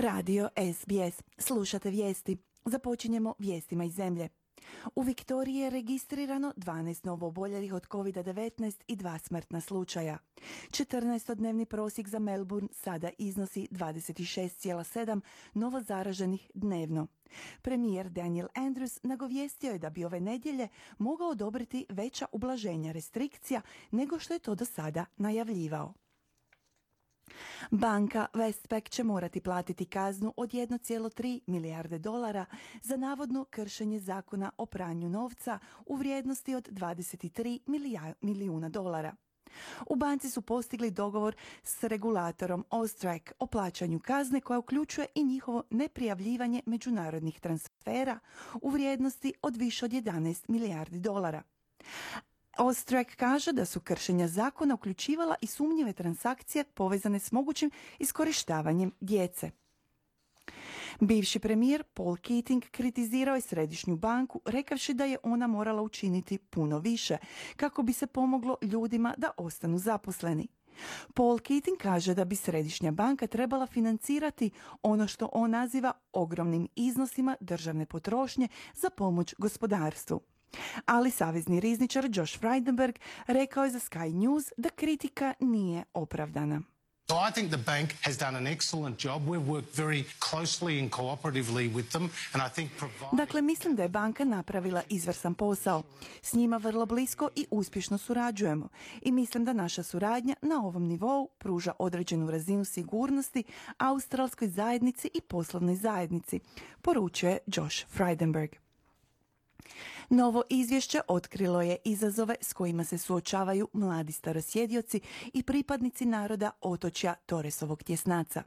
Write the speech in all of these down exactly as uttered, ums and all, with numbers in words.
Radio S B S. Slušate vijesti. Započinjemo vijestima iz zemlje. U Viktoriji je registrirano dvanaest novooboljelih od kovid devetnaest i dva smrtna slučaja. četrnaestodnevni prosjek za Melbourne sada iznosi dvadeset šest zarez sedam novo zaraženih dnevno. Premijer Daniel Andrews nagovijestio je da bi ove nedjelje mogao odobriti veća ublaženja restrikcija nego što je to do sada najavljivao. Banka Westpac će morati platiti kaznu od jedan zarez tri milijarde dolara za navodno kršenje zakona o pranju novca u vrijednosti od dvadeset tri milijuna dolara. U banci su postigli dogovor s regulatorom Austrac o plaćanju kazne koja uključuje i njihovo neprijavljivanje međunarodnih transfera u vrijednosti od više od jedanaest milijardi dolara. Austrac kaže da su kršenja zakona uključivala i sumnjive transakcije povezane s mogućim iskorištavanjem djece. Bivši premijer Paul Keating kritizirao je Središnju banku rekavši da je ona morala učiniti puno više kako bi se pomoglo ljudima da ostanu zaposleni. Paul Keating kaže da bi Središnja banka trebala financirati ono što on naziva ogromnim iznosima državne potrošnje za pomoć gospodarstvu. Ali savezni rizničar Josh Frydenberg rekao je za Sky News da kritika nije opravdana. So I think the bank has done an excellent job. We've worked very closely and cooperatively with them and I think provide... Dakle, mislim da je banka napravila izvrstan posao. S njima vrlo blisko i uspješno surađujemo. I mislim da naša suradnja na ovom nivou pruža određenu razinu sigurnosti australskoj zajednici i poslovnoj zajednici, poručuje Josh Frydenberg. Novo izvješće otkrilo je izazove s kojima se suočavaju mladi starosjedioci i pripadnici naroda otočja Torresovog tjesnaca.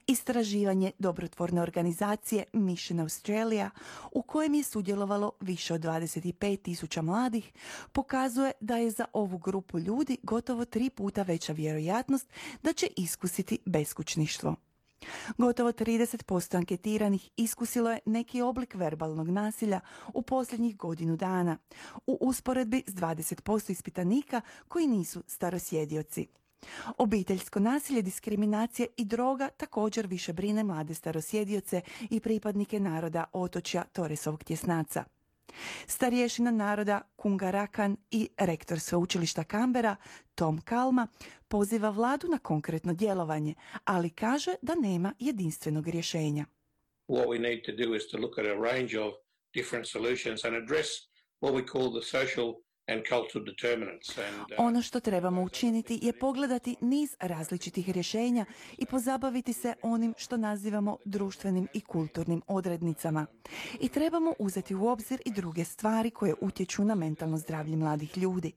Istraživanje dobrotvorne organizacije Mission Australia, u kojem je sudjelovalo više od dvadeset pet tisuća mladih, pokazuje da je za ovu grupu ljudi gotovo tri puta veća vjerojatnost da će iskusiti beskućništvo. Gotovo trideset posto anketiranih iskusilo je neki oblik verbalnog nasilja u posljednjih godinu dana, u usporedbi s dvadeset posto ispitanika koji nisu starosjedioci. Obiteljsko nasilje, diskriminacija i droga također više brine mlade starosjedioce i pripadnike naroda otočja Torresovog tjesnaca. Starješina naroda Kungarakan i rektor sveučilišta Canberra Tom Kalma poziva vladu na konkretno djelovanje, ali kaže da nema jedinstvenog rješenja. What we need to do is to look at a range of different solutions and address what we call the social and cultural determinants. And, uh, ono što trebamo učiniti je pogledati niz različitih rješenja i pozabaviti se onim što nazivamo društvenim i kulturnim odrednicama. I trebamo uzeti u obzir i druge stvari koje utječu na mentalno zdravlje mladih ljudi.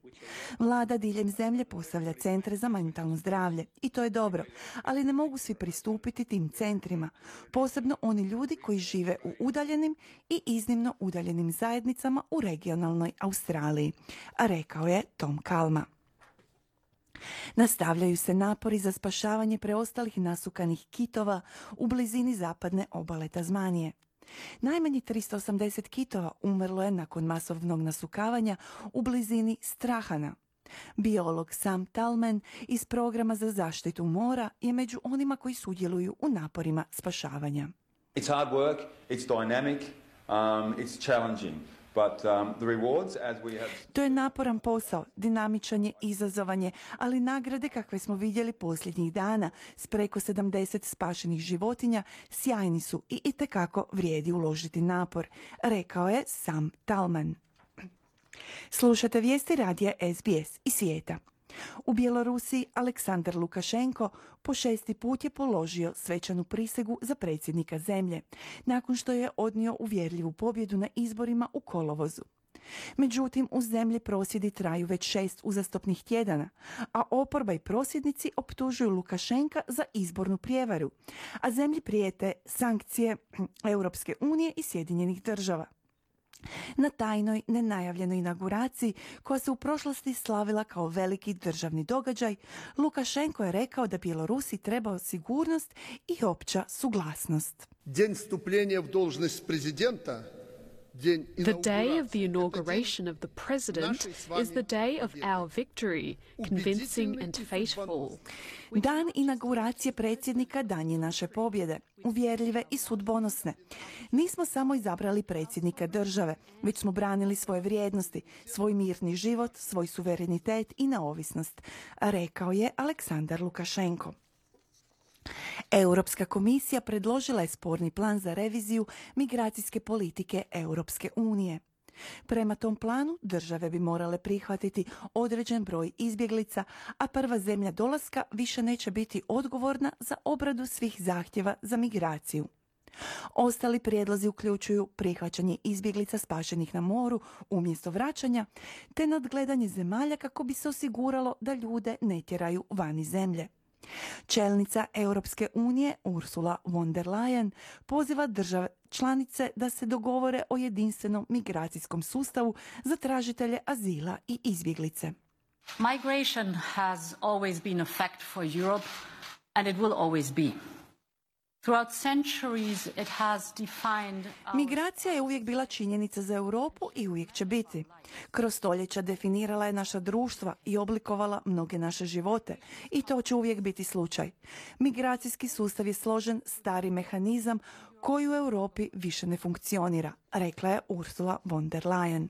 Vlada diljem zemlje postavlja centre za mentalno zdravlje i to je dobro, ali ne mogu svi pristupiti tim centrima, posebno oni ljudi koji žive u udaljenim i iznimno udaljenim zajednicama u regionalnoj Australiji, a rekao je Tom Kalma. Nastavljaju se napori za spašavanje preostalih nasukanih kitova u blizini zapadne obale Tasmanije. Najmanje tristo osamdeset kitova umrlo je nakon masovnog nasukavanja u blizini Strahana. Biolog Sam Tallman iz programa za zaštitu mora je među onima koji sudjeluju u naporima spašavanja. It's hard work, it's dynamic, um, it's challenging. But, um, the rewards, as we have... To je naporan posao, dinamičan je, izazovan je, ali nagrade kakve smo vidjeli posljednjih dana s preko sedamdeset spašenih životinja sjajni su i itekako vrijedi uložiti napor, rekao je Sam Tallman. Slušate vijesti radija S B S iz svijeta. U Bjelorusiji Aleksandar Lukašenko po šesti put je položio svečanu prisegu za predsjednika zemlje, nakon što je odnio uvjerljivu pobjedu na izborima u kolovozu. Međutim, u zemlji prosvjedi traju već šest uzastopnih tjedana, a oporba i prosvjednici optužuju Lukašenka za izbornu prijevaru, a zemlji prijete sankcije Europske unije i Sjedinjenih država. Na tajnoj, nenajavljenoj inauguraciji, koja se u prošlosti slavila kao veliki državni događaj, Lukašenko je rekao da Bjelorusiji treba sigurnost i opća suglasnost. Den vstupljenja v dužnost prezidenta The day of the inauguration of the president is the day of our victory, convincing and fateful. Dan inauguracije predsjednika dan je naše pobjede, uvjerljive i sudbonosne. Nismo samo izabrali predsjednika države, već smo branili svoje vrijednosti, svoj mirni život, svoj suverenitet i neovisnost, rekao je Aleksandar Lukašenko. Europska komisija predložila je sporni plan za reviziju migracijske politike Europske unije. Prema tom planu države bi morale prihvatiti određen broj izbjeglica, a prva zemlja dolaska više neće biti odgovorna za obradu svih zahtjeva za migraciju. Ostali prijedlozi uključuju prihvaćanje izbjeglica spašenih na moru umjesto vraćanja, te nadgledanje zemalja kako bi se osiguralo da ljude ne tjeraju van iz zemlje. Čelnica Europske unije Ursula von der Leyen poziva države članice da se dogovore o jedinstvenom migracijskom sustavu za tražitelje azila i izbjeglice. Migration has always been a fact for Europe and it will always be. Throughout centuries it has defined our... Migracija je uvijek bila činjenica za Europu i uvijek će biti. Kroz stoljeća definirala je naša društva i oblikovala mnoge naše živote i to će uvijek biti slučaj. Migracijski sustav je složen, stari mehanizam koji u Europi više ne funkcionira, rekla je Ursula von der Leyen.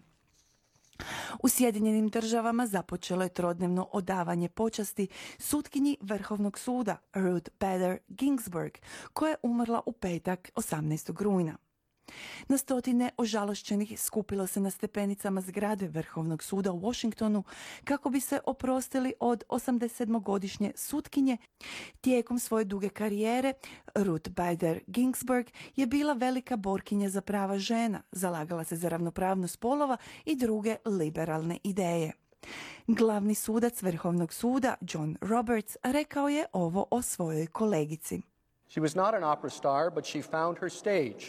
U Sjedinjenim državama započelo je trodnevno odavanje počasti sutkinji Vrhovnog suda Ruth Bader Ginsburg, koja je umrla u petak osamnaestog rujna. Na stotine ožalošćenih skupilo se na stepenicama zgrade Vrhovnog suda u Washingtonu kako bi se oprostili od osamdesetsedmogodišnje sutkinje. Tijekom svoje duge karijere Ruth Bader Ginsburg je bila velika borkinja za prava žena, zalagala se za ravnopravnost spolova i druge liberalne ideje. Glavni sudac Vrhovnog suda John Roberts rekao je ovo o svojoj kolegici. She was not an opera star, but she found her stage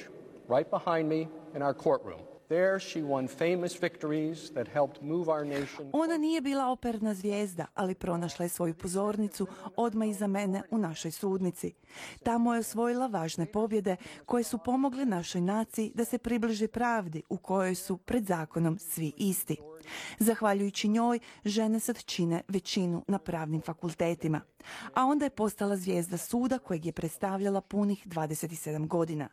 right behind me in our courtroom. There she won famous victories that helped move our nation. Ona nije bila operna zvijezda, ali pronašla je svoju pozornicu odmah iza mene u našoj sudnici. Tamo je osvojila važne pobjede koje su pomogle našoj naciji da se približi pravdi u kojoj su pred zakonom svi isti. Zahvaljujući njoj, žene sad čine većinu na pravnim fakultetima, a onda je postala zvijezda suda kojeg je predstavljala punih dvadeset sedam godina.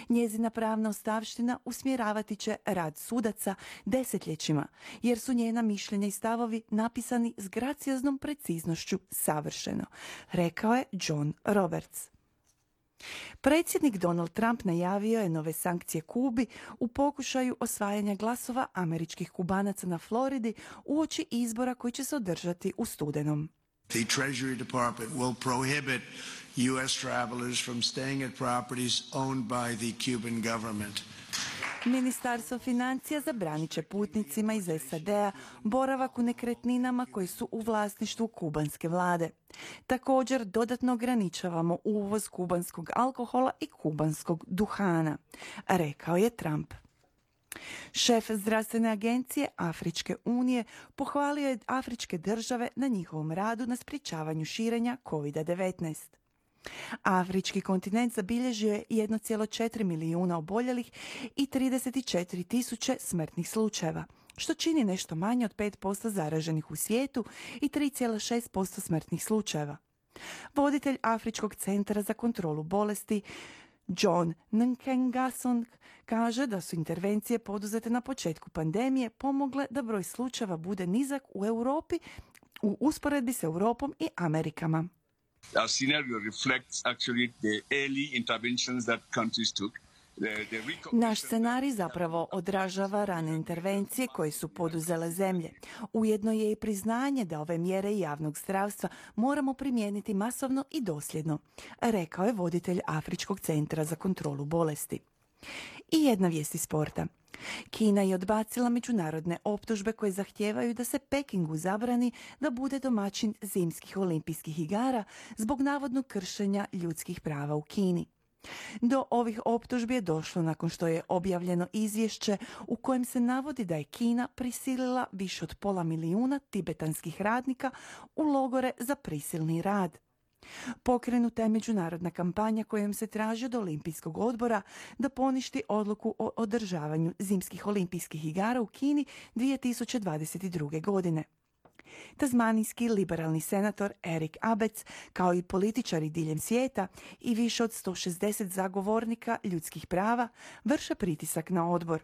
Njezina pravna ostavština usmjeravati će rad sudaca desetljećima, jer su njena mišljenja i stavovi napisani s gracioznom preciznošću savršeno, rekao je John Roberts. Predsjednik Donald Trump najavio je nove sankcije Kubi u pokušaju osvajanja glasova američkih Kubanaca na Floridi uoči izbora koji će se održati u studenom. The Treasury Department will prohibit U S travelers from staying at properties owned by the Cuban government. Ministarstvo financija zabranit će putnicima iz S A D-a boravak u nekretninama koji su u vlasništvu kubanske vlade. Također dodatno ograničavamo uvoz kubanskog alkohola i kubanskog duhana, rekao je Trump. Šef zdravstvene agencije Afričke unije pohvalio je afričke države na njihovom radu na sprječavanju širenja kovid devetnaest. Afrički kontinent zabilježio je jedan zarez četiri milijuna oboljelih i trideset četiri tisuće smrtnih slučajeva, što čini nešto manje od pet posto zaraženih u svijetu i tri zarez šest posto smrtnih slučajeva. Voditelj Afričkog centra za kontrolu bolesti John Nkengasong kaže da su intervencije poduzete na početku pandemije pomogle da broj slučajeva bude nizak u Europi u usporedbi s Europom i Amerikama. Our scenario reflects actually the early interventions that countries took. Naš scenarij zapravo odražava rane intervencije koje su poduzele zemlje. Ujedno je i priznanje da ove mjere javnog zdravstva moramo primijeniti masovno i dosljedno, rekao je voditelj Afričkog centra za kontrolu bolesti. I jedna vijest iz sporta. Kina je odbacila međunarodne optužbe koje zahtijevaju da se Pekingu zabrani da bude domaćin zimskih olimpijskih igara zbog navodnog kršenja ljudskih prava u Kini. Do ovih optužbi je došlo nakon što je objavljeno izvješće u kojem se navodi da je Kina prisilila više od pola milijuna tibetanskih radnika u logore za prisilni rad. Pokrenuta je međunarodna kampanja kojom se traži od Olimpijskog odbora da poništi odluku o održavanju zimskih olimpijskih igara u Kini dvije tisuće dvadeset druge. godine. Tasmanijski liberalni senator Eric Abetz, kao i političari diljem svijeta i više od sto šezdeset zagovornika ljudskih prava, vrše pritisak na odbor.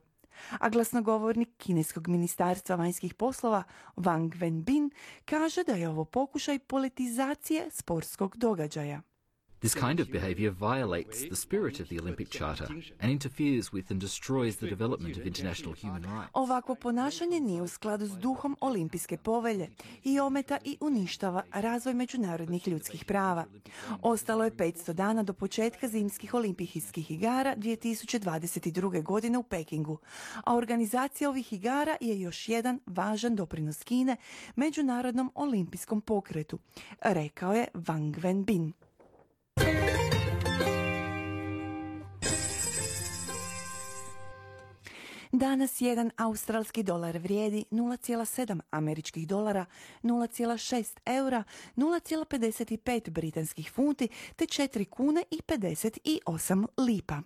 A glasnogovornik kineskog ministarstva vanjskih poslova Wang Wenbin kaže da je ovo pokušaj politizacije sportskog događaja. This kind of behaviour violates the spirit of the Olympic Charter and interferes with and destroys the development of international human rights. Ovakvo ponašanje nije u skladu s duhom Olimpijske povelje i ometa i uništava razvoj međunarodnih ljudskih prava. Ostalo je petsto dana do početka zimskih olimpijskih igara dvije tisuće dvadeset druge. godine u Pekingu, a organizacija ovih igara je još jedan važan doprinos Kine međunarodnom olimpijskom pokretu, rekao je Wang Wenbin. Danas jedan australski dolar vrijedi nula zarez sedam američkih dolara, nula zarez šest eura, nula zarez pedeset pet britanskih funti te četiri kune i pedeset osam lipa.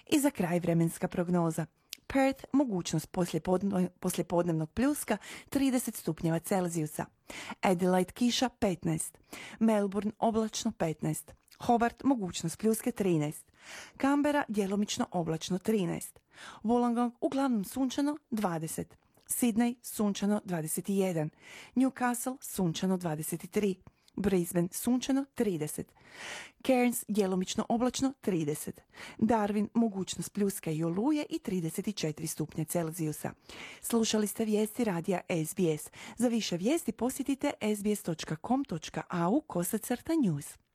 I za kraj vremenska prognoza. Perth, mogućnost poslijepodnevnog pljuska trideset stupnjeva Celzijusa. Adelaide kiša petnaest. Melbourne oblačno petnaest. Hobart mogućnost pljuske trinaest. Canberra djelomično oblačno trinaest. Wollongong uglavnom sunčano dvadeset. Sydney sunčano dvadeset jedan. Newcastle sunčano dvadeset tri. Brisbane sunčano trideset. Cairns djelomično oblačno trideset. Darwin mogućnost pljuska i oluje i trideset četiri stupnja Celzijusa. Slušali ste vijesti radija S B S. Za više vijesti posjetite s b s dot com dot a u kosacrta news.